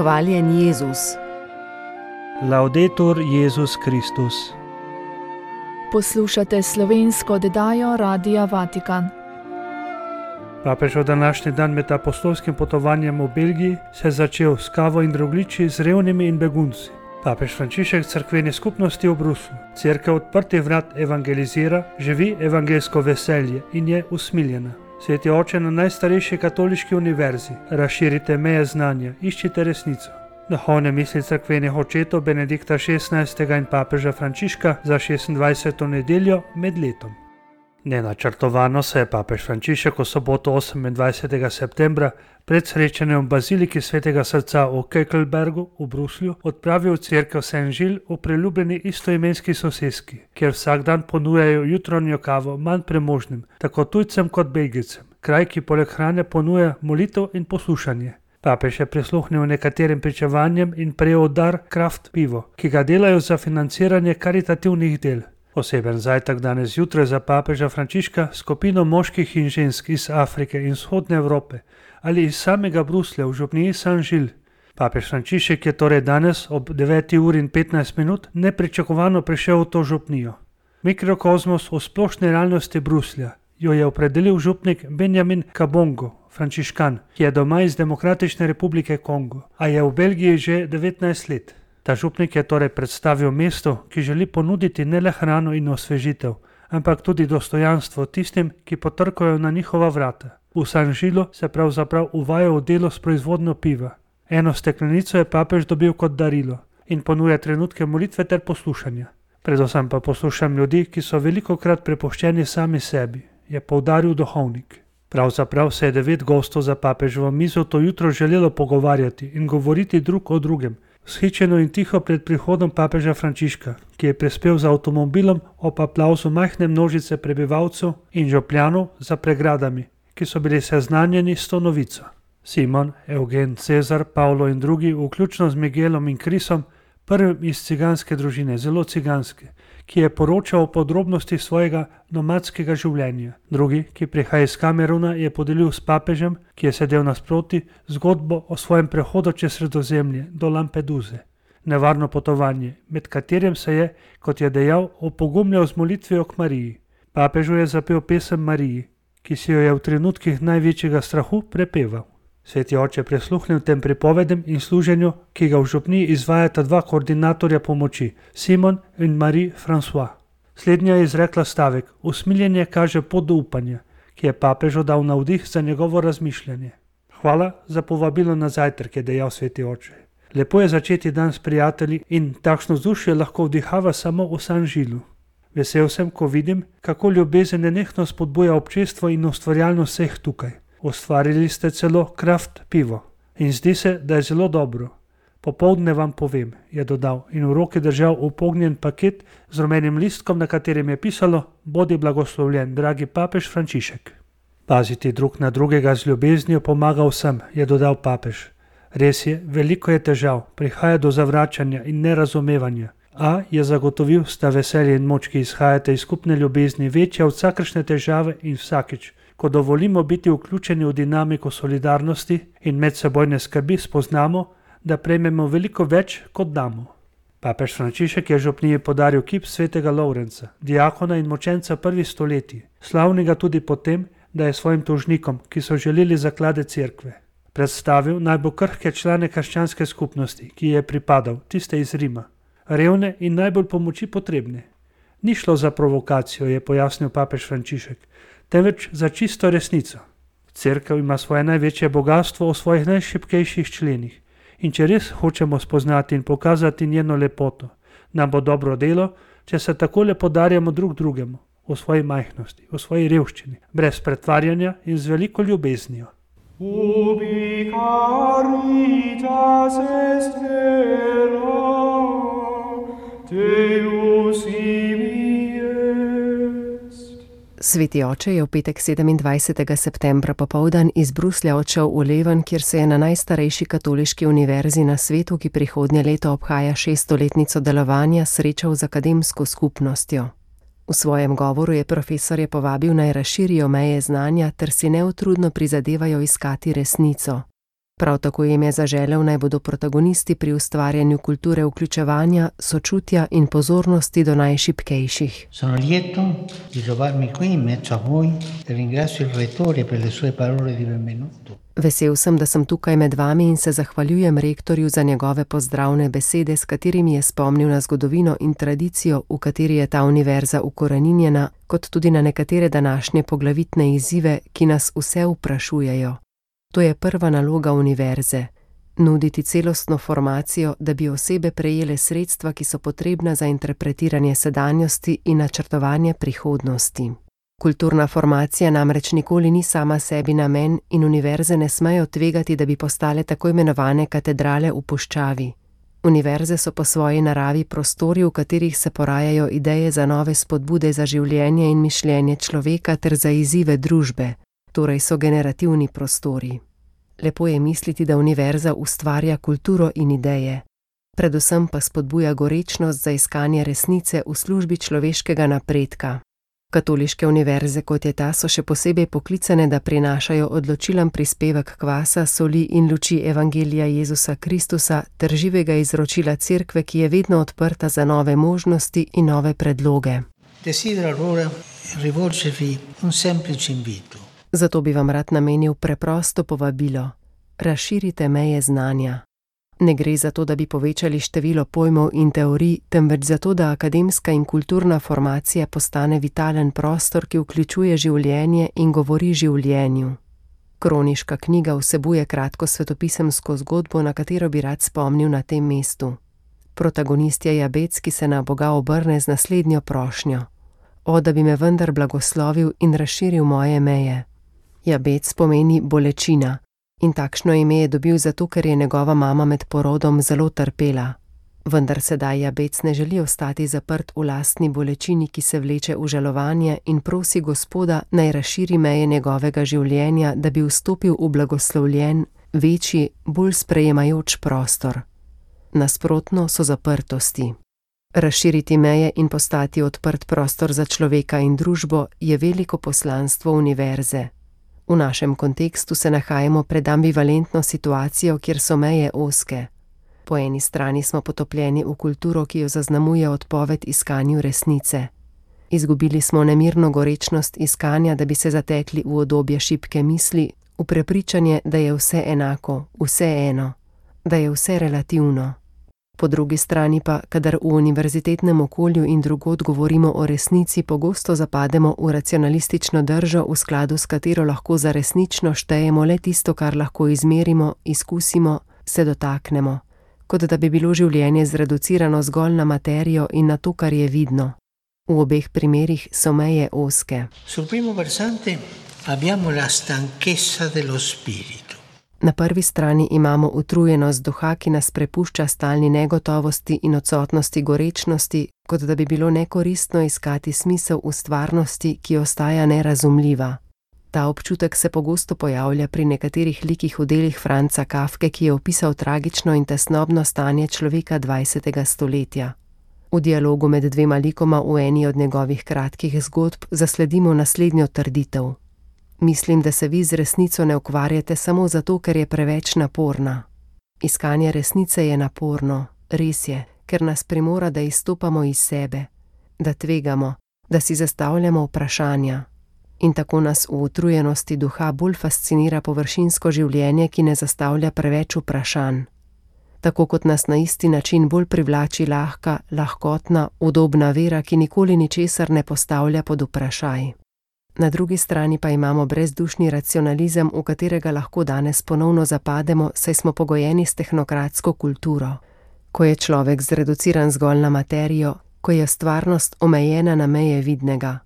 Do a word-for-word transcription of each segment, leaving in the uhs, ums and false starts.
Hvaljen Jezus. Laudetur Jezus Kristus. Poslušate slovensko oddajo Radia Vatikan. Papežev današnji dan med apostolskim potovanjem v Belgiji se je začel s kavo in drogliči, z revnimi in begunci. Papež Frančišek cerkveni skupnosti v Bruslju. Cerkev odprtih vrat evangelizira, živi evangelsko veselje in je usmiljena. Sveti oče na najstarejši katoliški univerzi, razširite meje znanja, iščite resnico. Duhovne misli cerkvenih očetov Benedikta šestnajstega in papeža Frančiška za šestindvajseto nedeljo med letom. Nenačrtovano se je papež Frančišek v soboto osemindvajsetega septembra pred srečanjem v baziliki Svetega srca v Kekelbergu v Bruslju odpravil v cerkev Saint-Gilles v priljubljeni istoimenski soseski, kjer vsak dan ponujajo jutranjo kavo manj premožnim, tako tujcem kot Belgijcem. Kraj, ki poleg hrane ponuja molitev in poslušanje. Papež je prisluhnil nekaterim pričevanjem in prejel dar kraft pivo, ki ga delajo za financiranje karitativnih del. Poseben zajtrk danes zjutraj za papeža Frančiška skupino moških in žensk iz Afrike in vzhodne Evrope ali iz samega Bruslja v župniji Saint-Gilles. Papež Frančišek je torej danes ob deveti uri in petnajst minut nepričakovano prišel v to župnijo. Mikrokozmos v splošni realnosti Bruslja jo je opredelil župnik Benjamin Kabongo, frančiškan, ki je doma iz Demokratične republike Kongo, a je v Belgiji že devetnajst let. Ta župnik je torej predstavil mesto, ki želi ponuditi ne le hrano in osvežitev, ampak tudi dostojanstvo tistim, ki potrkajo na njihova vrata. V Saint-Gilesu se pravzaprav uvaja v delo s proizvodnjo piva. Eno steklenico je papež dobil kot darilo in ponuja trenutke molitve ter poslušanja. Predvsem pa poslušam ljudi, ki so velikokrat prepuščeni sami sebi, je poudaril duhovnik. Pravzaprav se je devet gostov za papeževo mizo to jutro želelo pogovarjati in govoriti drug o drugem, vzhičeno in tiho pred prihodom papeža Frančiška, ki je prispel z avtomobilom ob aplavzu majhne množice prebivalcev in župljanov za pregradami, ki so bili seznanjeni s to novico. Simon, Eugen, Cezar, Pavlo in drugi, vključno z Miguelom in Krisom, prvim iz ciganske družine, zelo ciganske, ki je poročal o podrobnosti svojega nomadskega življenja. Drugi, ki prihaja iz Kameruna, je podelil s papežem, ki je sedel nasproti, zgodbo o svojem prehodu čez Sredozemlje do Lampeduze. Nevarno potovanje, med katerim se je, kot je dejal, opogumljal z molitvijo k Mariji. Papežu je zapel pesem Mariji, ki si jo je v trenutkih največjega strahu prepeval. Sveti oče prisluhnil tem pripovedem in služenju, ki ga v župniji izvajata dva koordinatorja pomoči, Simon in Marie François. Slednja je izrekla stavek: usmiljenje kaže pot do upanja, ki je papežu dal navdih za njegovo razmišljanje. Hvala za povabilo na zajtrk, je dejal sveti oče. Lepo je začeti dan s prijatelji in takšno vzdušje lahko vdihava samo v Saint-Gilesu. Vesel sem, ko vidim, kako ljubezen nenehno spodbuja občestvo in ustvarjalnost vseh tukaj. Ustvarili ste celo kraft pivo in zdi se, da je zelo dobro. Popoldne vam povem, je dodal in v roki držal upognjen paket z rumenim listkom, na katerem je pisalo: bodi blagoslovljen, dragi papež Frančišek. Paziti drug na drugega z ljubeznijo pomaga vsem, je dodal papež. Res je, veliko je težav, prihaja do zavračanja in nerazumevanja, a je zagotovil, sta veselje in moč, ki izhajate iz skupne ljubezni, večja od vsakršne težave in vsakič, ko dovolimo biti vključeni v dinamiko solidarnosti in medsebojne skrbi, spoznamo, da prejmemo veliko več, kot damo. Papež Frančišek je župniji podaril kip svetega Lovrenca, diakona in močenca prvih stoletij, slavnega tudi po tem, da je svojim tožnikom, ki so želeli zaklade cerkve, predstavil najbolj krhke člane krščanske skupnosti, ki je pripadal, tiste iz Rima, revne in najbolj pomoči potrebne. Ni šlo za provokacijo, je pojasnil papež Frančišek, temveč za čisto resnico. Cerkev ima svoje največje bogatstvo v svojih najšibkejših členih in če res hočemo spoznati in pokazati njeno lepoto, nam bo dobro delo, če se takole podarjamo drug drugemu, v svoji majhnosti, v svoji revščini, brez pretvarjanja in z veliko ljubeznijo. Ubi caritas est vera, Deus ibi est. Sveti oče je v petek sedemindvajsetega septembra popoldan iz Bruslja odšel v Leven, kjer se je na najstarejši katoliški univerzi na svetu, ki prihodnje leto obhaja šeststoletnico delovanja, srečal z akademsko skupnostjo. V svojem govoru je profesorje povabil naj razširijo meje znanja ter si neutrudno prizadevajo iskati resnico. Prav tako jim je zaželel, naj bodo protagonisti pri ustvarjanju kulture vključevanja, sočutja in pozornosti do najšibkejših. Sono lieto di trovarmi qui in mezzo a voi e ringrazio il rettore per le sue parole di benvenuto. Vesel sem, da sem tukaj med vami in se zahvaljujem rektorju za njegove pozdravne besede, s katerimi je spomnil na zgodovino in tradicijo, v kateri je ta univerza ukoreninjena, kot tudi na nekatere današnje poglavitne izzive, ki nas vse vprašujejo. To je prva naloga univerze, nuditi celostno formacijo, da bi osebe prejele sredstva, ki so potrebna za interpretiranje sedanjosti in načrtovanje prihodnosti. Kulturna formacija namreč nikoli ni sama sebi namen in univerze ne smejo tvegati, da bi postale tako imenovane katedrale v puščavi. Univerze so po svoji naravi prostori, v katerih se porajajo ideje za nove spodbude za življenje in mišljenje človeka ter za izzive družbe. Torej so generativni prostori. Lepo je misliti, da univerza ustvarja kulturo in ideje. Predvsem pa spodbuja gorečnost za iskanje resnice v službi človeškega napredka. Katoliške univerze, kot je ta, so še posebej poklicane, da prinašajo odločilen prispevek kvasa, soli in luči Evangelija Jezusa Kristusa ter živega izročila Cerkve, ki je vedno odprta za nove možnosti in nove predloge. Desidero allora rivolgervi un semplice invito. Zato bi vam rad namenil preprosto povabilo. Razširite meje znanja. Ne gre za to, da bi povečali število pojmov in teorij, temveč za to, da akademska in kulturna formacija postane vitalen prostor, ki vključuje življenje in govori življenju. Kroniška knjiga vsebuje kratko svetopisemsko zgodbo, na katero bi rad spomnil na tem mestu. Protagonist je Jabec, ki se na Boga obrne z naslednjo prošnjo. O, da bi me vendar blagoslovil in razširil moje meje. Jabec pomeni bolečina in takšno ime je dobil zato, ker je njegova mama med porodom zelo trpela. Vendar sedaj Jabec ne želi ostati zaprt v lastni bolečini, ki se vleče v žalovanje in prosi Gospoda, naj razširi meje njegovega življenja, da bi vstopil v blagoslovljen, večji, bolj sprejemajoč prostor. Nasprotno so zaprtosti. Razširiti meje in postati odprt prostor za človeka in družbo je veliko poslanstvo univerze. V našem kontekstu se nahajamo pred ambivalentno situacijo, kjer so meje ozke. Po eni strani smo potopljeni v kulturo, ki jo zaznamuje odpoved iskanju resnice. Izgubili smo nemirno gorečnost iskanja, da bi se zatekli v udobje šibke misli, v prepričanje, da je vse enako, vse eno, da je vse relativno. Po drugi strani pa, kadar v univerzitetnem okolju in drugod govorimo o resnici, pogosto zapademo v racionalistično držo, v skladu s katero lahko za resnično štejemo le tisto, kar lahko izmerimo, izkusimo, se dotaknemo, kot da bi bilo življenje zreducirano zgolj na materijo in na to, kar je vidno. V obeh primerih so meje ozke. Sul primo versante abbiamo la stanchezza dello spirito. Na prvi strani imamo utrujenost duha, ki nas prepušča stalni negotovosti in odsotnosti gorečnosti, kot da bi bilo nekoristno iskati smisel v stvarnosti, ki ostaja nerazumljiva. Ta občutek se pogosto pojavlja pri nekaterih likih v delih Franza Kafke, ki je opisal tragično in tesnobno stanje človeka dvajsetega stoletja. V dialogu med dvema likoma v eni od njegovih kratkih zgodb zasledimo naslednjo trditev. Mislim, da se vi z resnico ne ukvarjate samo zato, ker je preveč naporna. Iskanje resnice je naporno, res je, ker nas primora, da izstopamo iz sebe, da tvegamo, da si zastavljamo vprašanja. In tako nas v utrujenosti duha bolj fascinira površinsko življenje, ki ne zastavlja preveč vprašanj. Tako kot nas na isti način bolj privlači lahka, lahkotna, udobna vera, ki nikoli ničesar ne postavlja pod vprašaj. Na drugi strani pa imamo brezdušni racionalizem, v katerega lahko danes ponovno zapademo, saj smo pogojeni s tehnokratsko kulturo. Ko je človek zreduciran zgolj na materijo, ko je stvarnost omejena na meje vidnega,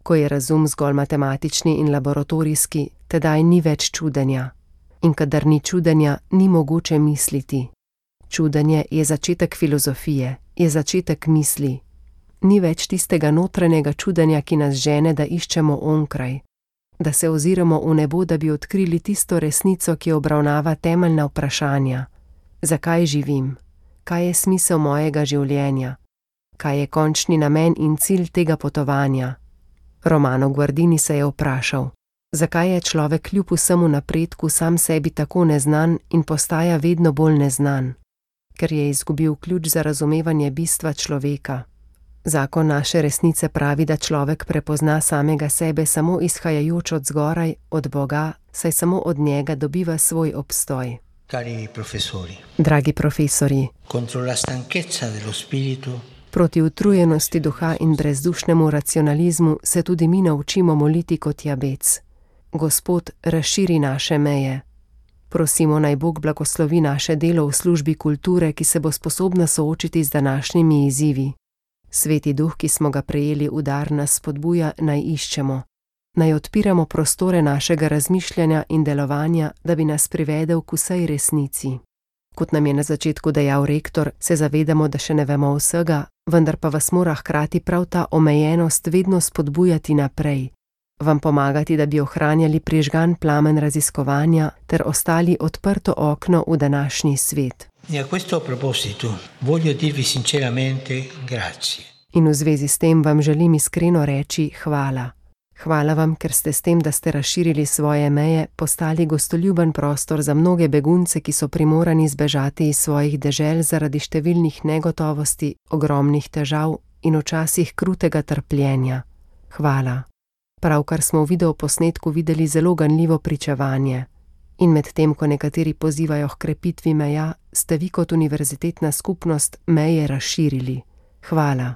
ko je razum zgolj matematični in laboratorijski, tedaj ni več čudenja. In kadar ni čudenja, ni mogoče misliti. Čudenje je začetek filozofije, je začetek misli. Ni več tistega notranjega čudenja, ki nas žene, da iščemo onkraj, da se oziramo v nebo, da bi odkrili tisto resnico, ki obravnava temeljna vprašanja. Zakaj živim? Kaj je smisel mojega življenja? Kaj je končni namen in cilj tega potovanja? Romano Guardini se je vprašal, Zakaj je človek kljub vsemu napredku sam sebi tako neznan in postaja vedno bolj neznan? Ker je izgubil ključ za razumevanje bistva človeka. Zakon naše resnice pravi, da človek prepozna samega sebe samo izhajajoč od zgoraj, od Boga, saj samo od njega dobiva svoj obstoj. Cari professori, Dragi profesori, contro la stanchezza dello spirito, proti utrujenosti duha in brezdušnemu racionalizmu se tudi mi naučimo moliti kot Jabec. Gospod, razširi naše meje. Prosimo, naj Bog blagoslovi naše delo v službi kulture, ki se bo sposobna soočiti z današnjimi izzivi. Sveti duh, ki smo ga prejeli v dar, nas spodbuja, naj iščemo. Naj odpiramo prostore našega razmišljanja in delovanja, da bi nas privedel k vsej resnici. Kot nam je na začetku dejal rektor, se zavedamo, da še ne vemo vsega, vendar pa vas mora hkrati prav ta omejenost vedno spodbujati naprej. Vam pomagati, da bi ohranjali prižgan plamen raziskovanja ter ostali odprto okno v današnji svet. E a questo proposito voglio dirvi sinceramente grazie. In v zvezi s tem vam želim iskreno reči hvala. Hvala vam, ker ste s tem, da ste razširili svoje meje, postali gostoljuben prostor za mnoge begunce, ki so primorani zbežati iz svojih dežel zaradi številnih negotovosti, ogromnih težav in včasih krutega trpljenja. Hvala. Pravkar smo v videoposnetku videli zelo ganljivo pričevanje. In medtem, ko nekateri pozivajo h krepitvi meja, ste vi kot univerzitetna skupnost meje razširili. Hvala.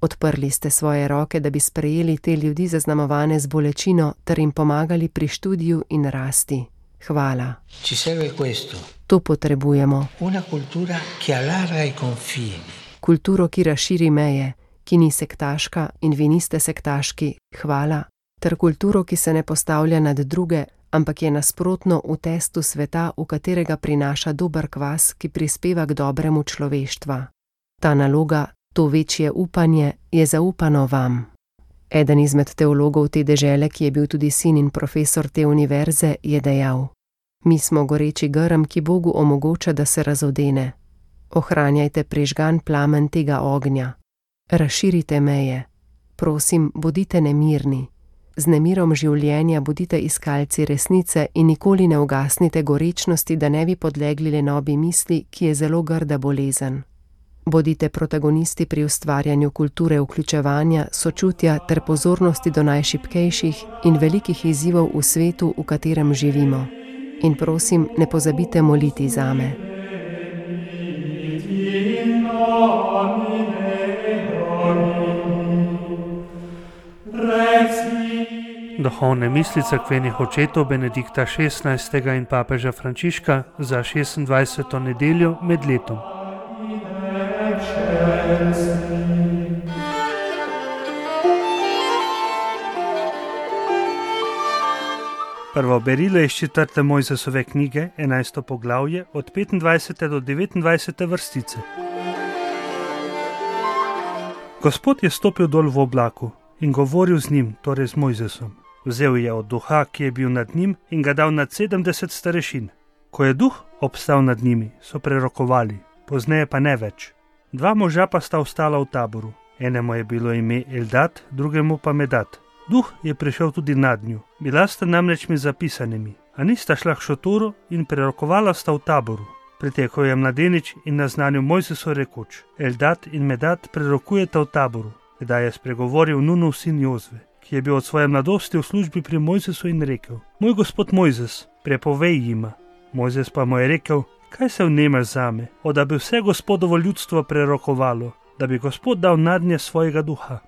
Odprli ste svoje roke, da bi sprejeli te ljudi zaznamovane z bolečino ter jim pomagali pri študiju in rasti. Hvala. Ci serve questo. To potrebujemo. Una cultura che allarga i confini. Kulturo, ki razširi meje, ki ni sektaška in vi niste sektaški. Hvala. Ter kulturo, ki se ne postavlja nad druge, ampak je nasprotno v testu sveta, v katerega prinaša dober kvas, ki prispeva k dobremu človeštva. Ta naloga, to večje upanje, je zaupano vam. Eden izmed teologov te dežele, ki je bil tudi sin in profesor te univerze, je dejal: Mi smo goreči grm, ki Bogu omogoča, da se razodene. Ohranjajte prižgan plamen tega ognja. Razširite meje. Prosim, bodite nemirni. Z nemirom življenja bodite iskalci resnice in nikoli ne ugasnite gorečnosti, da ne bi podlegli lenobi misli, ki je zelo grda bolezen. Bodite protagonisti pri ustvarjanju kulture vključevanja, sočutja ter pozornosti do najšibkejših in velikih izzivov v svetu, v katerem živimo. In prosim, ne pozabite moliti zame. Duhovne misli cerkvenih očetov Benedikta šestnajstega in papeža Frančiška za šestindvajseto nedeljo med letom. Prvo berilo iz četrte Mojzesove knjige, enajsto poglavje, od petindvajsete do devetindvajsete vrstice. Gospod je stopil dol v oblaku in govoril z njim, torej z Mojzesom. Vzel je od duha, ki je bil nad njim, in ga dal nad sedemdeset starešin. Ko je duh obstal nad njimi, so prerokovali, pozneje pa ne več. Dva moža pa sta ostala v taboru. Enemu je bilo ime Eldad, drugemu pa Medad. Duh je prišel tudi nad njo. Bila sta namreč med zapisanimi, a nista šla k šotoru in prerokovala sta v taboru. Pritekel je mladenič in naznanil Mojzesu rekoč: Eldad in Medad prerokujeta v taboru. Kdaj je spregovoril Nunov sin Jozve, ki je bil od svoje mladosti v službi pri Mojzesu in rekel: Moj gospod Mojzes, prepovej jima. Mojzes pa mu je rekel: Kaj se vnemaš zame, o da bi vse gospodovo ljudstvo prerokovalo, da bi Gospod dal nadnje svojega duha.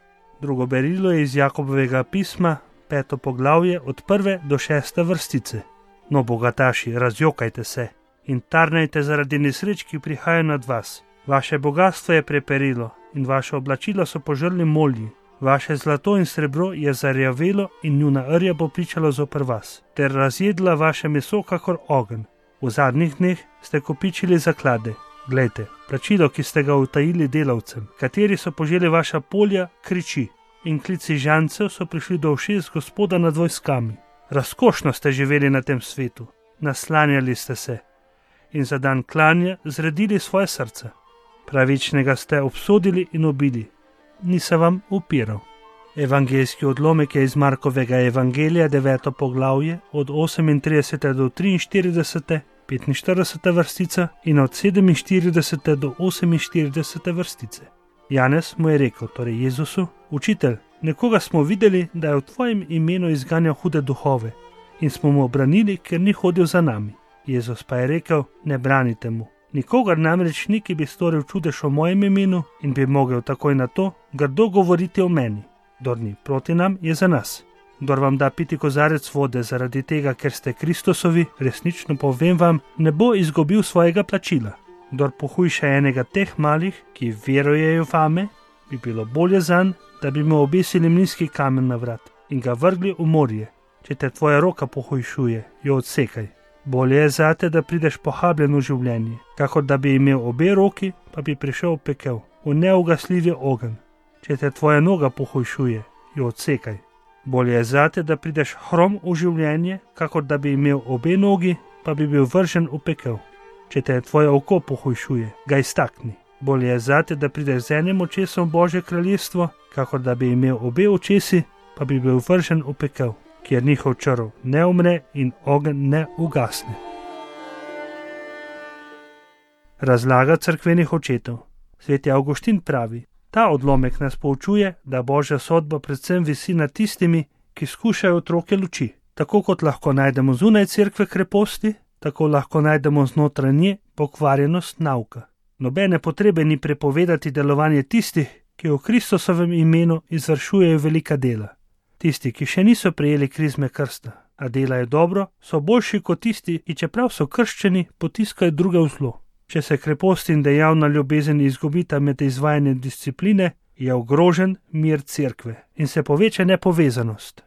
Drugo berilo je iz Jakobovega pisma, peto poglavje, od prve do šeste vrstice. No, bogataši, razjokajte se in tarnajte zaradi nesreč, ki prihajajo nad vas. Vaše bogatstvo je preperilo in vaše oblačila so požrli molji. Vaše zlato in srebro je zarjavelo in njuna rja bo pričalo zoper vas, ter razjedla vaše meso kakor ogenj. V zadnjih dneh ste kopičili zaklade. Glejte, plačilo, ki ste ga utajili delavcem, kateri so poželi vaša polja, kriči, in klici žancev so prišli do ušes Gospoda nad vojskami. Razkošno ste živeli na tem svetu, naslanjali ste se in za dan klanja zredili svoje srca. Pravičnega ste obsodili in ubili, ni se vam upiral. Evangeljski odlomek je iz Markovega evangelija, deveto poglavje, od osemintridesete do triinštiridesete, petinštiridesete vrstica in od sedeminštiridesete do oseminštiridesete vrstice. Janez mu je rekel, torej Jezusu: Učitelj, nekoga smo videli, da je v tvojem imenu izganjal hude duhove in smo mu obranili, ker ni hodil za nami. Jezus pa je rekel: Ne branite mu. Nikogar namreč ni, ki bi storil čudež v mojem imenu in bi mogel takoj na to grdo govoriti o meni. Kdor ni proti nam, je za nas. Kdor vam da piti kozarec vode zaradi tega, ker ste Kristusovi, resnično povem vam, ne bo izgubil svojega plačila. Kdor pohujša enega teh malih, ki verujejo vame, bi bilo bolje zanj, da bi mu obesili mlinski kamen na vrat in ga vrgli v morje. Če te tvoja roka pohujšuje, jo odsekaj. Bolje je zate, da prideš pohabljen v življenje, kakor da bi imel obe roki, pa bi prišel v pekel, v neugasljivi ogenj. Če te tvoja noga pohujšuje, jo odsekaj. Bolje je zate, da prideš hrom v življenje, kakor da bi imel obe nogi, pa bi bil vržen v pekel. Če te tvoje oko pohujšuje, ga iztakni. Bolje je zate, da prideš z enim očesom v Božje kraljestvo, kakor da bi imel obe očesi, pa bi bil vržen v pekel, kjer njihov črv ne umre in ogenj ne ugasne. Razlaga cerkvenih očetov. Sveti Avguštin pravi: Ta odlomek nas poučuje, da Božja sodba predvsem visi nad tistimi, ki skušajo otroke luči. Tako kot lahko najdemo zunaj cerkve kreposti, tako lahko najdemo znotraj nje pokvarjenost nauka. Nobene potrebe ni prepovedati delovanje tistih, ki v Kristusovem imenu izvršujejo velika dela. Tisti, ki še niso prejeli krizme krsta, a delajo dobro, so boljši kot tisti, ki čeprav so krščeni, potiskajo druge v zlo. Če se krepost in dejavna ljubezen izgubita med izvajanjem discipline, je ogrožen mir cerkve in se poveča nepovezanost.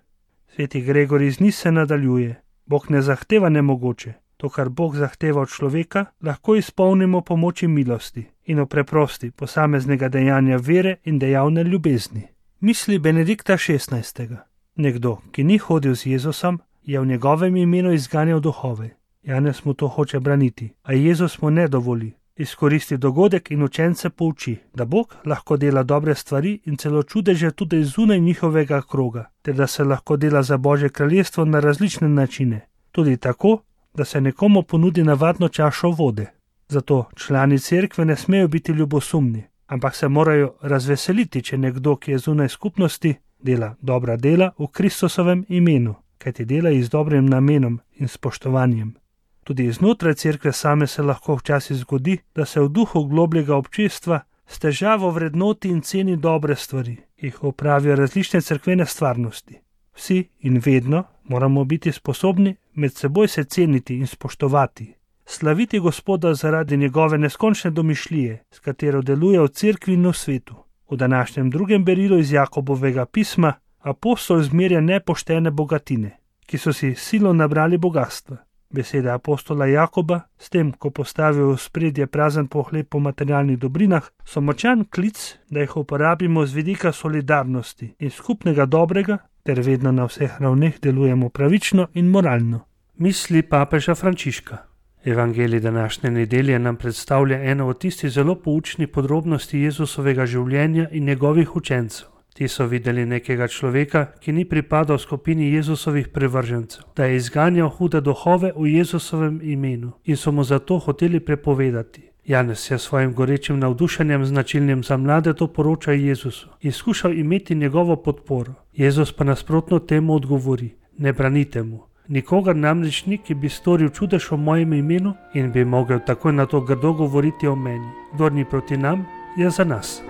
Sveti Gregor iz Nise nadaljuje: Bog ne zahteva nemogoče. To, kar Bog zahteva od človeka, lahko izpolnimo pomoči milosti in v preprosti posameznega dejanja vere in dejavne ljubezni. Misli Benedikta šestnajstega. Nekdo, ki ni hodil z Jezusom, je v njegovem imenu izganjal duhove. Janez mu to hoče braniti, a Jezus mu ne dovoli. Izkoristi dogodek in učence pouči, da Bog lahko dela dobre stvari in celo čudeže tudi zunaj njihovega kroga, ter da se lahko dela za Božje kraljestvo na različne načine, tudi tako, da se nekomu ponudi navadno čašo vode. Zato člani cerkve ne smejo biti ljubosumni, ampak se morajo razveseliti, če nekdo, ki je zunaj skupnosti, dela dobra dela v Kristusovem imenu, kajti dela jih z dobrim namenom in spoštovanjem. Tudi znotraj cerkve same se lahko včasih zgodi, da se v duhu globljega občestva s težavo vrednoti in ceni dobre stvari, ki jih opravijo različne cerkvene stvarnosti. Vsi in vedno moramo biti sposobni med seboj se ceniti in spoštovati, slaviti Gospoda zaradi njegove neskončne domišljije, s katero deluje v cerkvi in v svetu. V današnjem drugem berilu iz Jakobovega pisma apostol zmerja nepoštene bogatine, ki so si silo nabrali bogatstva. Besede apostola Jakoba, s tem, ko postavijo v spredje prazen pohlep po materialnih dobrinah, so močan klic, da jih uporabimo z vidika solidarnosti in skupnega dobrega, ter vedno na vseh ravneh delujemo pravično in moralno. Misli papeža Frančiška. Evangelij današnje nedelje nam predstavlja eno od tistih zelo poučnih podrobnosti Jezusovega življenja in njegovih učencev. Ti so videli nekega človeka, ki ni pripadal skupini Jezusovih privržencev, da je izganjal hude duhove v Jezusovem imenu in so mu zato hoteli prepovedati. Janez je svojim gorečim navdušenjem značilnim za mlade to poroča Jezusu in skušal imeti njegovo podporo. Jezus pa nasprotno temu odgovori: Ne branite mu. Nikogar namreč ni, ki bi storil čudež v mojem imenu in bi mogel takoj na to grdo govoriti o meni. Kdor ni proti nam, je za nas.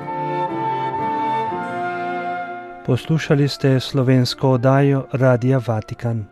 Poslušali ste slovensko oddajo Radia Vatikan.